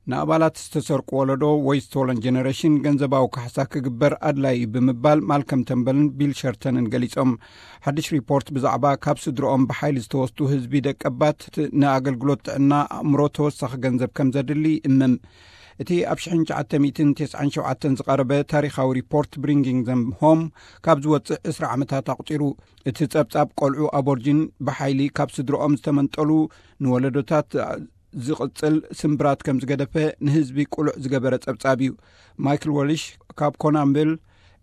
ንኣባላት ዝተሰርቁ ወለዶ ወይ ስቶለን ጀነሬሽን ገንዘባዊ ካሕሳ ክግበር ኣድላይ እዩ ብምባል ማልከም ተምበልን ቢል ሸርተንን ገሊጾም። ሓድሽ ሪፖርት ብዛዕባ ካብ ስድሮኦም ብሓይሊ ዝተወስዱ ህዝቢ ደቀባት ንኣገልግሎት ጥዕና ኣእምሮ ተወሳኺ ገንዘብ ከም ዘድሊ እምም። እቲ ኣብ ሽሕን ትሽዓተ ሚእትን ተስዓን ሸውዓተን ዝቐረበ ታሪኻዊ ሪፖርት ብሪንጊንግ ዘም ሆም ካብ ዝወጽእ ዕስራ ዓመታት ኣቑጺሩ። እቲ ጸብጻብ ቆልዑ ኣቦርጂን ብሓይሊ ካብ ስድሮኦም ዝተመንጠሉ ንወለዶታት ዝቕጽል ስምብራት ከም ዝገደፈ ንህዝቢ ቁሉዕ ዝገበረ ጸብጻብ እዩ። ማይክል ወልሽ ካብ ኮናምብል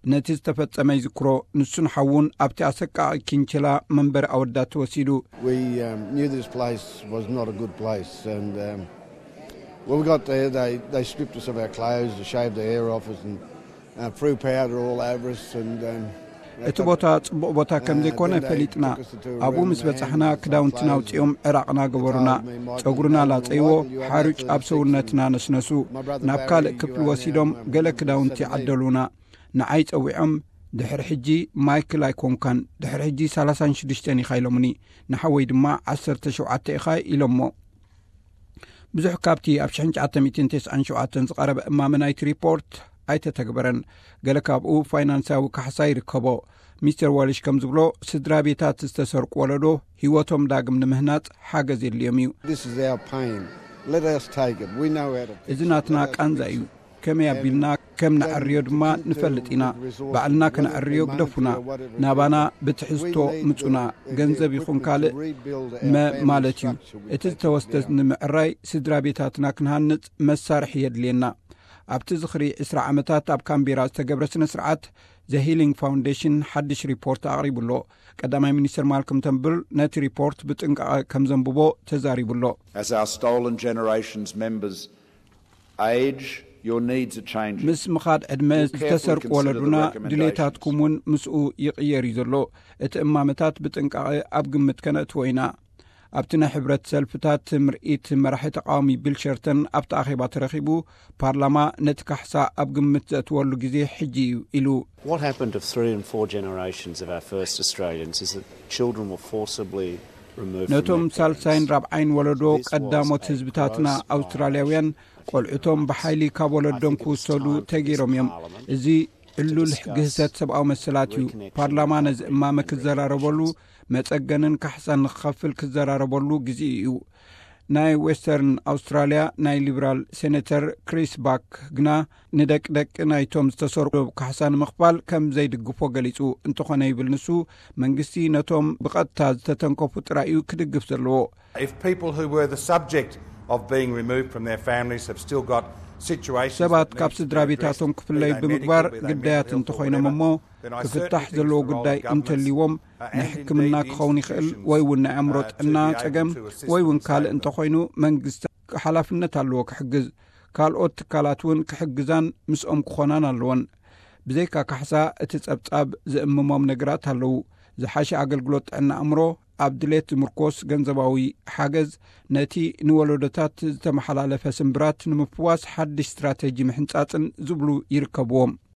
ነቲ ዝተፈጸመ ይዝክሮ። ንሱን ሓውን ኣብቲ ኣሰቃቒ ኪንችላ መንበሪ ኣወዳት ተወሲዱ። We um, knew this place was not a good place, and um, when we got there, they, they stripped us of our clothes, they shaved the hair off us, and uh, threw powder all over us. And um, እቲ ቦታ ጽቡቕ ቦታ ከም ዘይኮነ ፈሊጥና። ኣብኡ ምስ በጻሕና ክዳውንትና ኣውጺኦም ዕራቕና ገበሩና። ጸጉርና ላጸይዎ፣ ሓሩጭ ኣብ ሰውነትና ነስነሱ። ናብ ካልእ ክፍሊ ወሲዶም ገለ ክዳውንቲ ዓደሉና። ንዓይ ጸዊዖም፣ ድሕሪ ሕጂ ማይክል ኣይኮንካን፣ ድሕሪ ሕጂ ሰላሳን ሽዱሽተን ኢኻ ኢሎምኒ። ንሓወይ ድማ ዓሰርተ ሸውዓተ ኢኻ ኢሎሞ። ብዙሕ ካብቲ ኣብ ሽሕን ትሽዓተ ሚእትን ተስዓን ሸውዓተን ዝቐረበ እማመ ናይቲ ሪፖርት ኣይተተግበረን። ገለ ካብኡ ፋይናንሳዊ ካሕሳ ይርከቦ። ሚስተር ዋልሽ ከም ዝብሎ፣ ስድራ ቤታት ዝተሰርቁ ወለዶ ህይወቶም ዳግም ንምህናጽ ሓገዝ የድልዮም እዩ። This is our pain. Let us take it. We know how to fix እዚ ናትና ቃንዛ እዩ። ከመይ ኣቢልና ከም ነዕርዮ ድማ ንፈልጥ ኢና። ባዕልና ከነዕርዮ ግደፉና። ናባና ብትሕዝቶ ምጹና። ገንዘብ ይኹን ካልእ መ ማለት እዩ። እቲ ዝተወስደ ንምዕራይ ስድራ ቤታትና ክንሃንጽ መሳርሒ የድልየና። ኣብቲ ዝኽሪ ዕስራ ዓመታት ኣብ ካምቤራ ዝተገብረ ስነ ስርዓት ዘ ሂሊንግ ፋውንዴሽን ሓድሽ ሪፖርት ኣቕሪቡ ኣሎ። ቀዳማይ ሚኒስትር ማልኮም ተምብል ነቲ ሪፖርት ብጥንቃቐ ከም ዘንብቦ ተዛሪቡ ኣሎ። As our stolen generations members age, your needs are changing. ምስ ምኻድ ዕድመ ዝተሰርቁ ወለዱና ድሌታትኩም እውን ምስኡ ይቕየር እዩ ዘሎ። እቲ እማመታት ብጥንቃቐ ኣብ ግምት ከነእትዎ ኢና። ኣብቲ ናይ ሕብረት ሰልፍታት ምርኢት መራሒ ተቃዋሚ ቢል ሸርተን ኣብቲ ኣኼባ ተረኺቡ፣ ፓርላማ ነቲ ካሕሳ ኣብ ግምት ዘእትወሉ ግዜ ሕጂ እዩ ኢሉ። What happened to three and four generations of our first Australians is that children were forcibly removed from ነቶም their ሳልሳይን parents. ራብዓይን ወለዶ ቀዳሞት ህዝብታትና ኣውስትራልያውያን ቆልዑቶም ብሓይሊ ካብ ወለዶም ክውሰዱ ተገይሮም እዮም። እዚ ዕሉል ግህሰት ሰብኣዊ መሰላት እዩ። ፓርላማ ነዚ እማመ ክዘራረበሉ፣ መጸገንን ካሕሳን ንክኸፍል ክዘራረበሉ ግዜ እዩ። ናይ ዌስተርን ኣውስትራልያ ናይ ሊበራል ሴኔተር ክሪስ ባክ ግና ንደቂ ደቂ ናይቶም ዝተሰርቁ ካሕሳ ንምኽፋል ከም ዘይድግፎ ገሊጹ። እንተኾነ ይብል ንሱ፣ መንግስቲ ነቶም ብቐጥታ ዝተተንከፉ ጥራይ እዩ ክድግፍ ዘለዎ። If people who were the subject of being removed from their families have still got situations ሰባት that ካብ need to ስድራ be addressed, ቤታቶም be ክፍለዩ they ብምግባር medical, be they ግዳያት mental health or እንተኾይኖም whatever, እሞ then I ክፍታሕ certainly think ዘለዎ it's the role ጉዳይ of government እንተልይዎም uh, ናይ and ሕክምና indeed the ክኸውን ይኽእል institutions ወይ እውን ናይ ኣእምሮ uh, to ጥዕና be able ጸገም to assist ወይ እውን these ካልእ same እንተኾይኑ መንግስቲ ሓላፍነት ኣለዎ ክሕግዝ። ካልኦት ትካላት እውን ክሕግዛን ምስኦም ክኾናን ኣለወን። ብዘይካ ካሕሳ እቲ ጸብጻብ ዝእምሞም ነገራት ኣለዉ። ዝሓሸ ኣገልግሎት ጥዕና ኣእምሮ፣ ኣብ ድሌት ዝምርኮስ ገንዘባዊ ሓገዝ፣ ነቲ ንወለዶታት ዝተመሓላለፈ ስምብራት ንምፍዋስ ሓድሽ ስትራተጂ ምሕንጻጽን ዝብሉ ይርከብዎም።